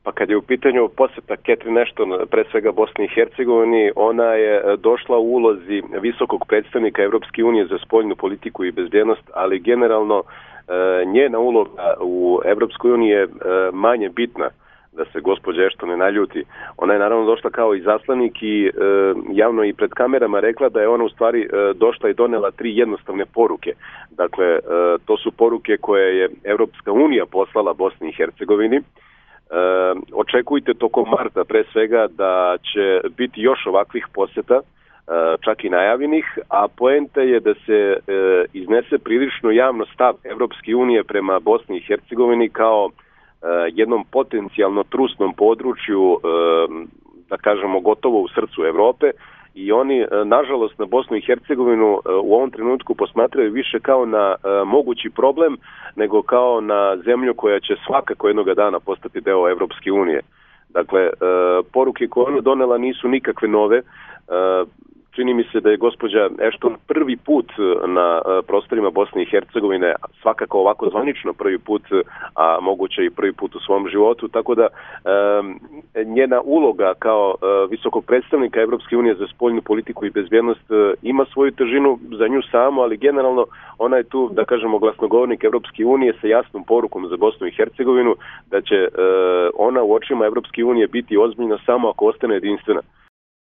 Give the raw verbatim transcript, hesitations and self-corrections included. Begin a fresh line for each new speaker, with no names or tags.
Pa kad je u pitanju posjeta Catherine Ashton, pre svega Bosni i Hercegovini, ona je došla u ulozi visokog predstavnika Evropske unije za spoljnu politiku i bezbjednost, ali generalno njena uloga u Evropskoj uniji je manje bitna, da se gospođa Ashton ne naljuti. Ona je naravno došla kao izaslanik i e, javno i pred kamerama rekla da je ona u stvari e, došla i donela tri jednostavne poruke. Dakle, e, to su poruke koje je Evropska unija poslala Bosni i Hercegovini. E, očekujte tokom marta pre svega da će biti još ovakvih posjeta, e, čak i najavljenih, a poenta je da se e, iznese prilično javno stav Evropske unije prema Bosni i Hercegovini kao jednom potencijalno trusnom području, da kažemo gotovo u srcu Evrope, i oni nažalost na Bosnu i Hercegovinu u ovom trenutku posmatraju više kao na mogući problem nego kao na zemlju koja će svakako jednoga dana postati deo Evropske unije. Dakle, poruke koje ona donela nisu nikakve nove. Čini mi se da je gospođa Ashton prvi put na prostorima Bosne i Hercegovine, svakako ovako zvanično prvi put, a moguće i prvi put u svom životu, tako da um, njena uloga kao uh, visokog predstavnika Evropske unije za spoljnu politiku i bezbjednost uh, ima svoju težinu za nju samu, ali generalno ona je tu, da kažemo, glasnogovornik Evropske unije sa jasnom porukom za Bosnu i Hercegovinu da će uh, ona u očima Evropske unije biti ozbiljna samo ako ostane jedinstvena.